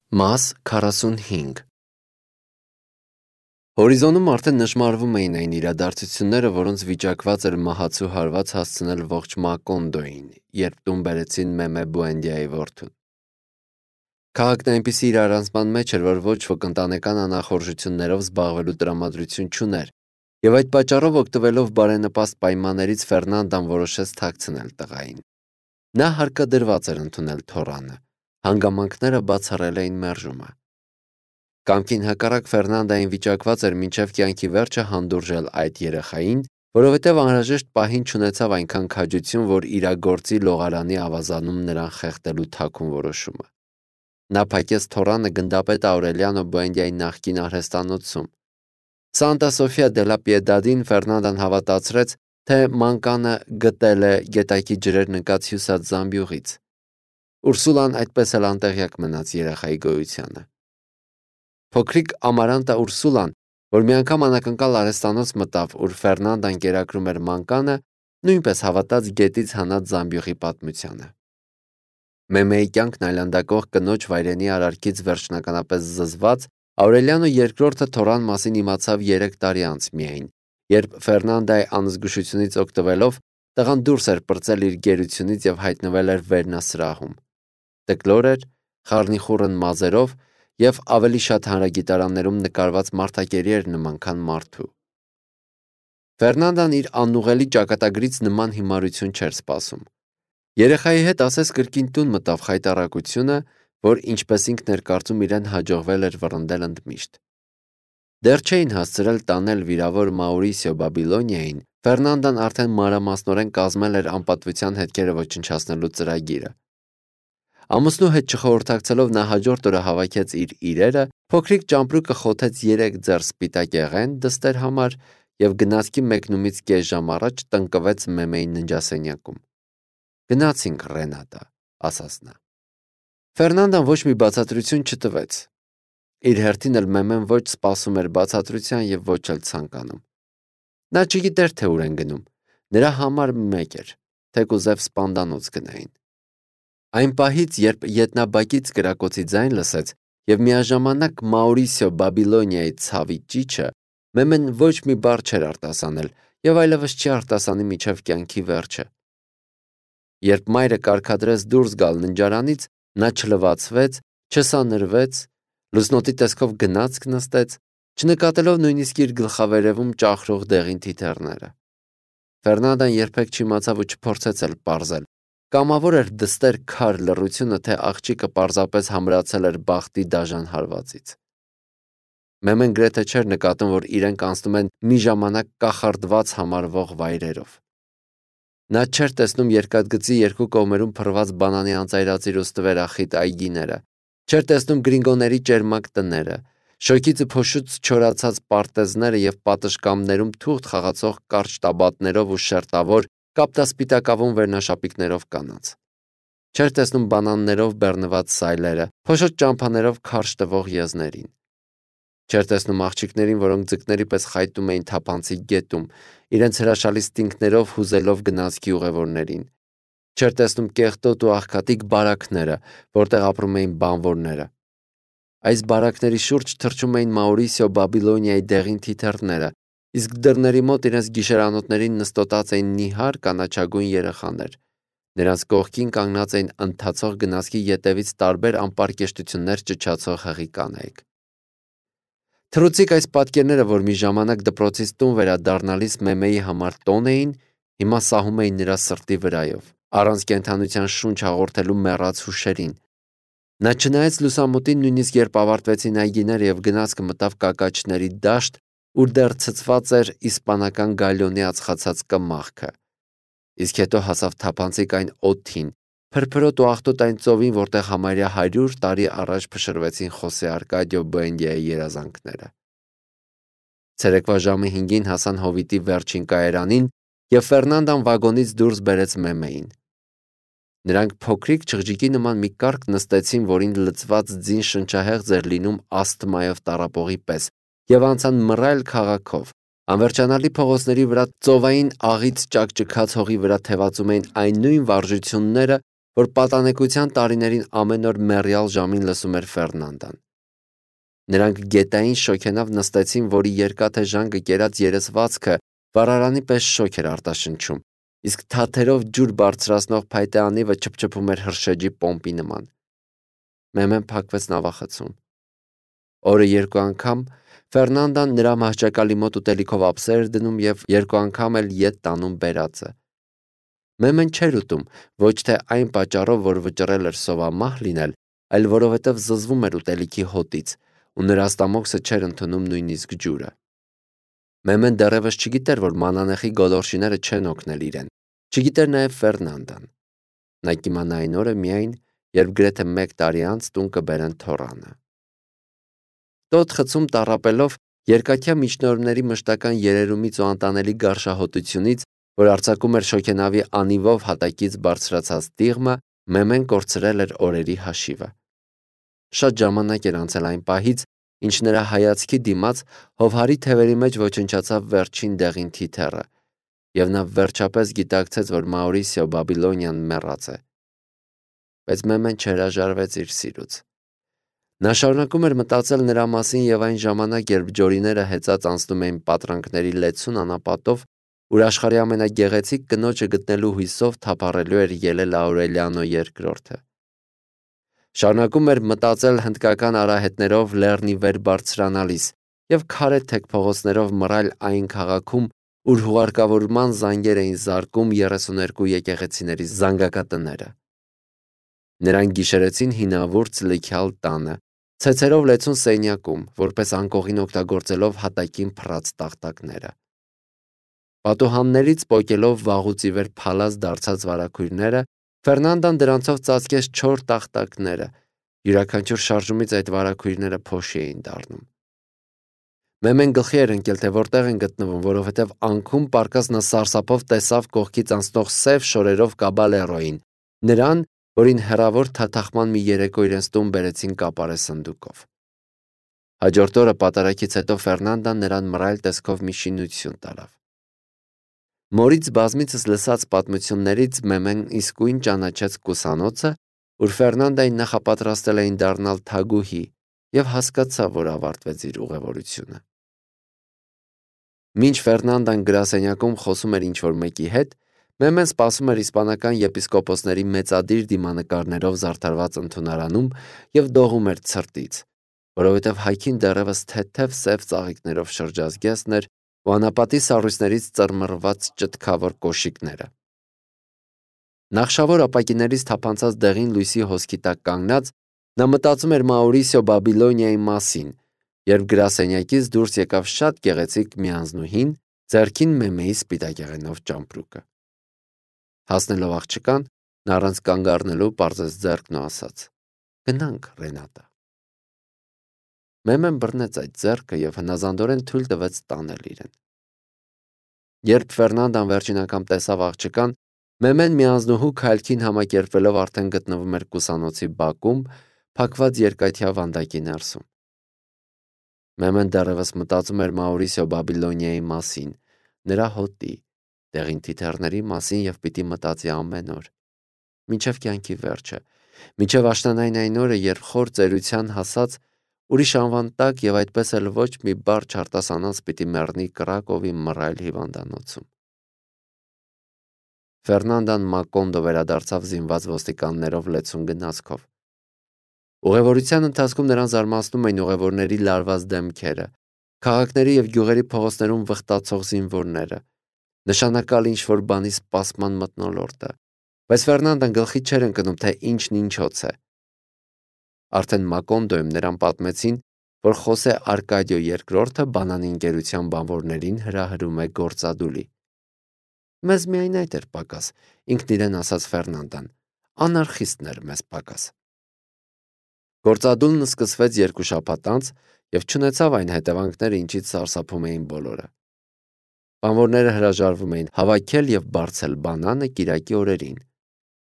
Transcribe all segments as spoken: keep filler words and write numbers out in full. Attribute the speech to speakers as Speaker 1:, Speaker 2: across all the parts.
Speaker 1: Մաս քառասունհինգ Հորիզոնում արդեն նշմարվում էին այն իրադարձությունները, որոնց վիճակված էր մահացու հարված հասցնել ողջ Մակոնդոյին, երբ տուն բերեցին Մեմե Բուենդիայի որդուն։ Քաղաքն այնպիսի իրարանցման մեջ էր, որ ոչ ոք ընտանեկան անախորժություններով զբաղվելու տրամադրություն չուներ, եւ այդ պատճառով օգտվելով բարենպաստ պայմաններից Ֆերնանդան որոշեց թաքցնել տղային։ Նա հարկադրված էր ընդունել թոռանը, հանգամանքները բացառել էին մերժումը։ Կամքին հակառակ Ֆերնանդային վիճակված էր մինչև կյանքի վերջը հանդուրժել այդ երեխային, որովհետև անհրաժեշտ պահին չունեցավ այնքան քաջություն, որ իրագործի լողարանի ավազանում նրան խեղդելու թաքուն որոշումը։ Նա փակեց թոռանը գնդապետ Աուրելիանո Բուենդիայի նախկին արհեստանոցում։ Սանտա Սոֆիա դե լա Պիեդադին Ֆերնանդան հավատացրեց, թե մանկանը գտել է գետակի ջրեր նկած հյուսած զամբյուղից։ Ուրսուլան այդպես էլ անտեղյակ մնաց երեխայի գոյությանը։ Փոքրիկ Ամարանտա Ուրսուլան, որ մի անգամ անակնկալ արհեստանոց մտավ, ուր Ֆերնանդան կերակրում էր մանկանը, նույնպես հավատաց գետից հանած զամբյուղի պատմությանը։ Մեմեի կյանքն այլանդակող կնոջ վայրենի արարքից վերջնականապես զզված, Աուրելիանո երկրորդը թոռան մասին իմացավ երեք տարի անց միայն, երբ Ֆերնանդայի անզգուշությունից օգտվելով տղան դուրս էր պրծել իր գերությունից եւ հայտնվել էր վերնասրահում։ Տկլոր էր, խառնիխուռն մազերով եւ ավելի շատ հանրագիտարաններում նկարված մարդակերի էր նման, քան մարդու։ Ֆերնանդան իր անուղելի ճակատագրից նման հիմարություն չէր սպասում։ Երեխայի հետ ասես կրկին տուն մտավ խայտառակությունը, որ ինչպես ինքն էր կարծում իրեն հաջողվել էր վռնդել ընդմիշտ։ Դեռ չէին հասցրել տանել վիրավոր Մաուրիսիո Բաբիլոնիային, Ֆերնանդան արդեն մանրամասնորեն կազմել էր անպատվության հետքերը ոչնչացնելու ծրագիրը։ Ամուսնու հետ չխորհրդակցելով նա հաջորդ օրը հավաքեց իր իրերը, փոքրիկ ճամպրուկը խոթեց երեք ձեռ սպիտակ եղեն դստեր համար եւ գնացքի մեկնումից կես ժամ առաջ տնկվեց Մեմեի ննջասենյակում։ Գնացինք, Ռենատա, ասաց նա։ Ֆերնանդան ոչ մի բացատրություն չտվեց։ Իր հերթին էլ Մեմեն ոչ սպասում էր բացատրության եւ ոչ էլ ցանկանում։ Նա չգիտեր, թե ուր են գնում։ Նրա համար մեկ էր, թեկուզև սպանդանոց գնային։ Այն պահից, երբ ետնաբակից կրակոցի ձայն լսեց եւ միաժամանակ Մաուրիսիո Բաբիլոնիայի ցավի ճիչը, Մեմեն ոչ մի բառ չէր արտասանել եւ այլևս չի արտասանի մինչև կյանքի վերջը։ Երբ մայրը կարգադրեց դուրս գալ ննջարանից, նա չլվացվեց, չսանրվեց, լուսնոտի տեսքով գնացք նստեց, չնկատելով նույնիսկ իր գլխավերևում ճախրող դեղին թիթեռները։ Ֆերնանդան երբեք չիմացավ ու չփորձեց էլ պարզել։ Կամավոր էր դստեր քար լռությունը, թե աղջիկը պարզապես համրացել էր բախտի դաժան հարվածից։ Մեմեն գրեթե չէր նկատում, որ իրենք անցնում են մի ժամանակ կախարդված համարվող վայրերով։ Նա չէր տեսնում երկաթգծի երկու կողմերում փռված բանանի անծայրածիր ու ստվերախիտ այգիները, չէր տեսնում գրինգոների ճերմակ տները, շոկից ու փոշուց չորացած պարտեզները եւ պատշգամբներում թուղթ խաղացող կարճ տաբատներով ու շերտավոր կապտասպիտակավուն վերնաշապիկներով կանանց։ Չէր տեսնում բանաններով բեռնված սայլերը, փոշոտ ճամփաներով քարշ տվող եզներին։ Չէր տեսնում աղջիկներին, որոնք ձկների պես խայտում էին թափանցիկ գետում, իրենց հրաշալի ստինքներով հուզելով գնացքի ուղևորներին։ Չէր տեսնում կեղտոտ ու աղքատիկ բարակները, որտեղ ապրում էին բանվորները։ Այս բարակների շուրջ թռչում էին Մաուրիսիո Բաբիլոնիայի դեղին թիթեռները, իսկ դռների մոտ իրենց գիշերանոթներին նստոտած էին նիհար կանաչագույն երեխաներ։ Նրանց կողքին կանգնած էին ընթացող գնացքի ետևից տարբեր անպարկեշտություններ ճչացող հղի կանայք։ Թռուցիկ այս պատկերները, որ մի ժամանակ դպրոցից տուն վերադառնալիս Մեմեի համար տոն էին, հիմա սահում էին նրա սրտի վրայով, առանց կենդանության շունչ հաղորդելու մեռած հուշերին։ Նա չնայեց լուսամուտին, նույնիսկ երբ ավարտվեցին այգիները եւ գնացքը մտավ կակաչների դաշտ, ուր դեռ ցցված էր իսպանական գալյոնի ածխացած կմախքը։ Իսկ հետո հասավ թափանցիկ այն օդին, փրփրոտ ու աղտոտ այն ծովին, որտեղ համարյա հարյուր տարի առաջ փշրվեցին Խոսե Արկադիո Բուենդիայի երազանքները։ Ցերեկվա ժամը հինգին հասան հովիտի վերջին կայարանին եւ Ֆերնանդան վագոնից դուրս բերեց Մեմեին։ Նրանք փոքրիկ չղջիկի նման մի կառք նստեցին, որին լցված ձին շնչահեղձ էր լինում ասթմայով տառապողի պես, եւ անցան մռայլ քաղաքով։ Անվերջանալի փողոցների վրա ծովային աղից ճակճքած հողի վրա թևածում էին այն նույն վարժությունները, որ պատանեկության տարիներին ամեն օր մեռյալ ժամին լսում էր Ֆերնանդան։ Նրանք գետային շոգենավ նստեցին, որի երկաթե ժանգը կերած երեսվածքը վառարանի պես շոգ էր արտաշնչում, իսկ թաթերով ջուր բարձրացնող փայտե անիվը չփչփում էր հրշեջի պոմպի նման։ Մեմեն փակվեց նավախցում։ Օրը երկու անգամ Ֆերնանդան նրա մահճակալի մոտ ուտելիքով ափսեր էր դնում և երկու անգամ էլ ետ տանում բերածը։ Մեմեն չէր ուտում, ոչ թե այն պատճառով, որ վճռել էր սովամահ լինել, այլ որովհետև զզվում էր ուտելիքի հոտից, ու նրա ստամոքսը չէր ընդունում նույնիսկ ջուրը։ Մեմեն դեռևս չգիտեր, որ մանանեխի գոլորշիները չեն օգնել իրեն, չգիտեր նաև Ֆերնանդան։ Նա կիմանա այն օրը միայն, երբ գրեթե մեկ տարի անց տուն կբերեն թոռանը։ Տոտ խցում տառապելով, երկաթյա միջնորդների մշտական երերումից ու անտանելի գարշահոտությունից, որ արձակում էր շոգենավի անիվով հատակից բարձրացած տիղմը, Մեմեն կորցրել էր օրերի հաշիվը։ Շատ ժամանակ էր անցել այն պահից, ինչ նրա հայացքի դիմաց հովհարի թևերի մեջ ոչնչացավ վերջին դեղին թիթեռը, և նա վերջապես գիտակցեց, որ Մաուրիսիո Բաբիլոնյան մեռած է։ Բայց Մեմեն չհրաժարվեց իր սիրուց։ Նա շարունակում էր մտածել նրա մասին և այն ժամանակ, երբ ջորիները հեծած անցնում էին պատրանքների լեցուն անապատով, ուր աշխարհի ամենագեղեցիկ կնոջը գտնելու հույսով թափառելու էր ելել Աուրելիանո երկրորդը։ Շարունակում էր մտածել հնդկական արահետներով լեռնի վեր բարձրանալիս և քարե թեք փողոցներով մռայլ այն քաղաքում, ուր հուղարկավորման զանգեր էին զարկում երեսուներկու եկեղեցիների զանգակատները։ Նրանք գիշերեցին հինավուրց լիքյալ տանը, ցեցերով լեցուն սենյակում, որպես անկողին օգտագործելով հատակին փռած տախտակները։ Պատուհաններից պոկելով վաղուց ի վեր փալած դարձած վարագույրները, Ֆերնանդան դրանցով ծածկեց չոր տախտակները, յուրաքանչյուր շարժումից այդ վարագույրները փոշի էին դառնում։ Մեմեն գլխի էր ընկել, թե որտեղ են գտնվում, որովհետև անքում պառկած նա սարսափով տեսավ կողքից անցնող սև շորերով Կաբալերոին, նրան, որին հեռավոր թաթախման մի երեկո իրենց տուն բերեցին կապարե սնդուկով։ Հաջորդ օրը պատարագից հետո Ֆերնանդան նրան մռայլ տեսքով մի շինություն տարավ։ Մորից բազմիցս լսած պատմություններից Մեմեն իսկույն ճանաչեց կուսանոցը, ուր Ֆերնանդային նախապատրաստել էին դառնալ թագուհի, և հասկացավ, որ ավարտվեց իր ուղևորությունը։ Մինչ Ֆերնանդան գրասենյակում խոսում էր ինչ-որ մեկի հետ, Մեմեն սպասում էր իսպանական եպիսկոպոսների մեծադիր դիմանկարներով զարդարված ընդունարանում և դողում էր ցրտից, որովհետև հայքին դեռևս թեթև սև ծաղիկներով շրջազգեստն էր ու անապատի սառույցներից ծռմռված ճտքավոր կոշիկները։ Նախշավոր ապակիներից թափանցած դեղին լույսի հոսքի տակ կանգնած, նա մտածում էր Մաուրիսիո Բաբիլոնիայի մասին, երբ գրասենյակից դուրս եկավ շատ գեղեցիկ մի անձնուհին, ձեռքին Մեմեի սպիտակեղենով ճամպրուկը։ Հասնելով աղջկան, նա առանց կանգ առնելու պարզեց ձեռքն ու ասաց. «Գնանք, Ռենատա»։ Մեմեն բռնեց այդ ձեռքը և հնազանդորեն թույլ տվեց տանել իրեն։ Երբ Ֆերնանդան վերջին անգամ տեսավ աղջկան, Մեմեն մի անձնուհու քայլքին համակերպվելով արդեն գտնվում էր կուսանոցի բակում, փակված երկաթյա վանդակի ներսում։ Մեմեն դեռևս մտածում էր Մաուրիսիո Բաբիլոնիայի մասին, նրա հոտի, դեղին թիթեռների մասին և պիտի մտածի ամեն օր, մինչև կյանքի վերջը, մինչև աշնանային այն օրը, երբ խոր ծերության հասած ուրիշ անվան տակ և այդպես էլ ոչ մի բառ չարտասանած պիտի մեռնի Կրակովի մռայլ հիվանդանոցում։ Ֆերնանդան Մակոնդո վերադարձավ զինված ոստիկաններով լեցուն գնացքով։ Ուղևորության ընթացքում նրան զարմացնում էին ուղևորների լարված դեմքերը, քաղաքների և գյուղերի փողոցներում վխտացող զինվորները, նշանակալ ինչ-որ բանի սպասման մթնոլորտը, բայց Ֆերնանդան գլխի չէր ընկնում, թե ինչն ինչոց է։ Արդեն Մակոնդոյում նրան պատմեցին, որ Խոսե Արկադիո երկրորդը բանանի ընկերության բանվորներին հրահրում է գործադուլի։ Մեզ միայն այդ էր պակաս, ինքն իրեն ասաց Ֆերնանդան, անարխիստներ մեզ պակաս։ Գործադուլն սկսվեց երկու շաբաթ անց և չունեցավ այն հետևանքները, ինչից սարսափում էին բոլորը։ Բանվորները հրաժարվում էին հավաքել և բարձել բանանը կիրակի օրերին։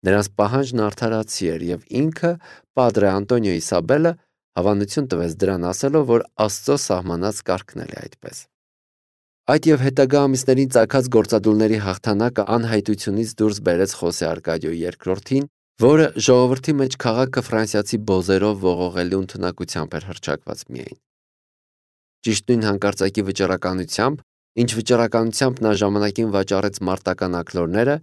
Speaker 1: Նրանց պահանջն արդարացի էր, և ինքը, Պադրե Անտոնիո Իսաբելը, հավանություն տվեց դրան, ասելով, որ Աստծո սահմանած կարգն էլ է այդպես։ Այդ և հետագա ամիսներին ծագած գործադուլների հաղթանակը անհայտությունից դուրս բերեց Խոսե Արկադիո երկրորդին որը ժողովրդի մեջ քաղաքը ֆրանսիացի բոզերով ողողելու ընդունակությամբ էր հռչակված միայն։ Ճիշտ նույն հանկարծակի վճռականությամբ, ինչ վճռականությամբ նա ժամանակին վաճառեց մարտական աքլորները,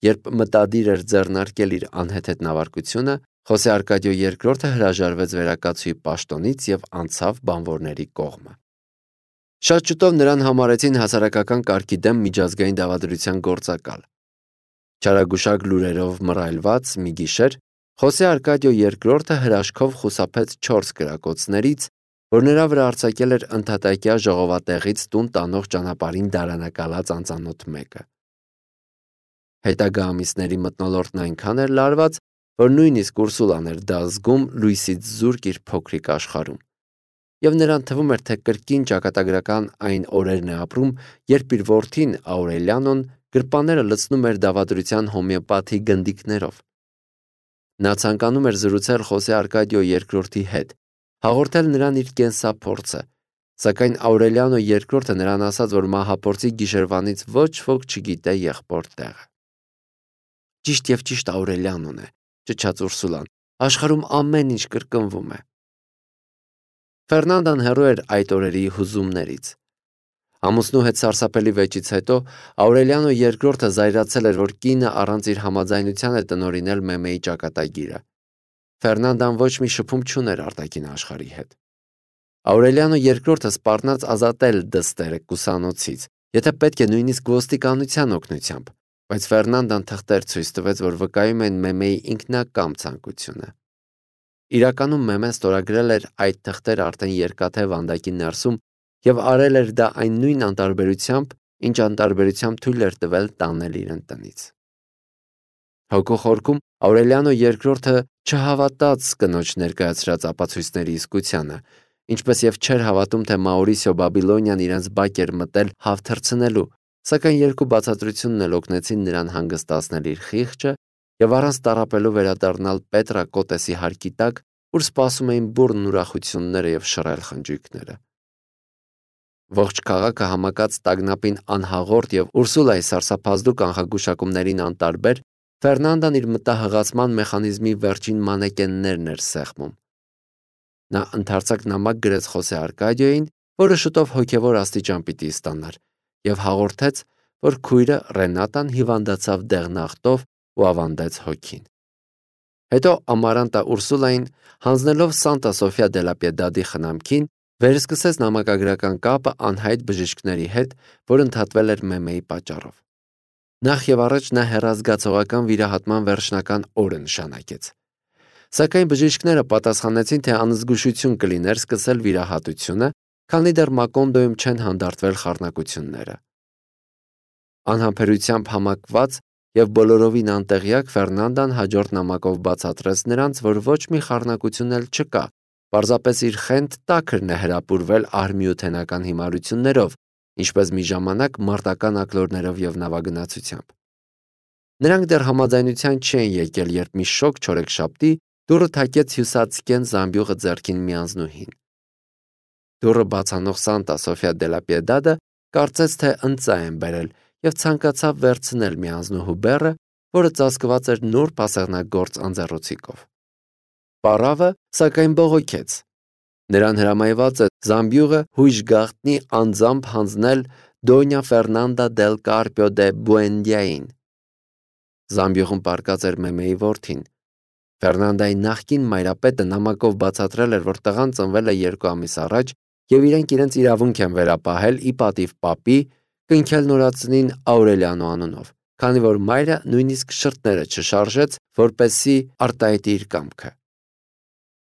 Speaker 1: երբ մտադիր էր ձեռնարկել իր անհեթեթ նավարկությունը, Խոսե Արկադիո երկրորդը հրաժարվեց վերակացուի պաշտոնից և անցավ բանվորների կողմը։ Շատ շուտով նրան համարեցին հասարակական կարգի դեմ միջազգային դավադրության գործակալ։ Չարագուշակ լուրերով մռայլված մի գիշեր Խոսե Արկադիո երկրորդը հրաշքով խուսափեց չորս կրակոցներից, որ նրա վրա արձակել էր ընդհատակյա ժողովատեղից տուն տանող ճանապարհին դարանակալած անծանոթ մեկը։ Հետագա ամիսների մթնոլորտն այնքան էր լարված, որ նույնիսկ Ուրսուլան էր դա զգում լույսից զուրկ իր փոքրիկ աշխարհում, և նրան թվում էր, թե կրկին ճակատագրական այն օրերն է ապրում, երբ իր որդին Աուրելիանոն գրպանները լցնում էր դավադրության հոմեոպաթի գնդիկներով։ Նա ցանկանում էր զրուցել Խոսե Արկադիո երկրորդի հետ, հաղորդել նրան իր կենսափորձը, սակայն Աուրելիանո երկրորդը նրան ասաց, որ մահափորձի գիշերվանից ոչ ոք չգիտե եղբոր տեղը։ Ճիշտ և ճիշտ Աուրելիանոն է, ճչաց Ուրսուլան, աշխարհում ամեն ինչ կրկնվում է։ Ֆերնանդան հեռու էր այդ օրերի հուզումներից։ Ամուսնու հետ սարսափելի վեճից հետո Աուրելիանո երկրորդը զայրացել էր, որ կինը առանց իր համաձայնության է տնօրինել Մեմեի ճակատագիրը։ Ֆերնանդան ոչ մի շփում չուներ արտաքին աշխարհի հետ։ Աուրելիանո երկրորդը սպառնաց ազատել դստերը կուսանոցից, եթե պետք է նույնիսկ ոստիկանության օգնությամբ, բայց Ֆերնանդան թղթեր ցույց տվեց, որ վկայում են Մեմեի ինքնակամ ցանկությունը։ Իրականում Մեմեն ստորագրել էր այդ թղթերը արդեն երկաթե վանդակի ներսում և արել էր դա այն նույն անտարբերությամբ, ինչ անտարբերությամբ թույլ էր տվել տանել իրեն տնից։ Հոգու խորքում Աուրելիանո երկրորդը չհավատաց կնոջ ներկայացրած ապացույցների իսկությանը, ինչպես և չէր հավատում, թե Մաուրիսիո Բաբիլոնյան իրենց բակ էր մտել հավ թռցնելու, սակայն երկու բացատրությունն էլ օգնեցին նրան հանգստացնել իր խիղճը և առանց տառապելու վերադառնալ Պետրա Կոտեսի հարկի տակ, ուր սպասում էին բուռն ուրախությունները և շռայլ խնջույքները։ Ողջ քաղաքը համակած տագնապին անհաղորդ և Ուրսուլայի սարսափազդու կանխագուշակումներին անտարբեր, Ֆերնանդան իր մտահղացման մեխանիզմի վերջին մանեկեններն էր սեղմում։ Նա ընդարձակ նամակ գրեց Խոսե Արկադիոյին, որը շուտով հոգևոր աստիճան պիտի ստանար, և հաղորդեց, որ քույրը Ռենատան հիվանդացավ դեղնախտով ու ավանդեց հոգին։ Հետո Ամարանտա Ուրսուլային, հանձնելով Սանտա Սոֆիա դե լա Պիեդադի խնամքին, վերսկսեց նամակագրական կապը անհայտ բժիշկների հետ, որ ընդհատվել էր Մեմեի պատճառով։ Նախ և առաջ նա հեռազգացողական վիրահատման վերջնական օրը նշանակեց։ Սակայն բժիշկները պատասխանեցին, թե անզգուշություն կլիներ սկսել վիրահատությունը, քանի դեռ Մակոնդոյում չեն հանդարտվել խառնակությունները։ Անհամբերությամբ համակված և բոլորովին անտեղյակ Ֆերնանդան հաջորդ նամակով բացատրեց նրանց, որ ոչ մի խառնակություն էլ չկա, պարզապես իր խենթ տաքրն է հրապուրվել արհմիութենական հիմարություններով, ինչպես մի ժամանակ մարտական աքլորներով և նավագնացությամբ։ Նրանք դեռ համաձայնության չեն եկել, երբ մի շոգ չորեքշաբթի դուռը թակեց հյուսածկեն զամբյուղը ձեռքին մի անձնուհին։ Դուռը բացանող Սանտա Սոֆիա դե լա Պիեդադը կարծեց, թե ընծա են բերել և ցանկացավ վերցնել մի անձնուհու բեռը, որը ծածկված էր նուրբ ասեղնագործ անձեռոցիկով։ Պառավը, սակայն, բողոքեց։ Նրան հրամայված է զամբյուղը հույժ գաղտնի անձամբ հանձնել Դոնյա Ֆերնանդա դել Կարպիո դե Բուենդիային։ Զամբյուղում պառկած էր Մեմեի որդին։ Ֆերնանդայի նախկին մայրապետը նամակով բացատրել էր, որ տղան ծնվել է երկու ամիս առաջ և իրենք իրենց իրավունք են վերապահել ի պատիվ պապի, կնքել նորածնին Աուրելիանո անունով, քանի որ մայրը նույնիսկ շրթները չշարժեց, որպեսզի արտահայտի իր կամքը։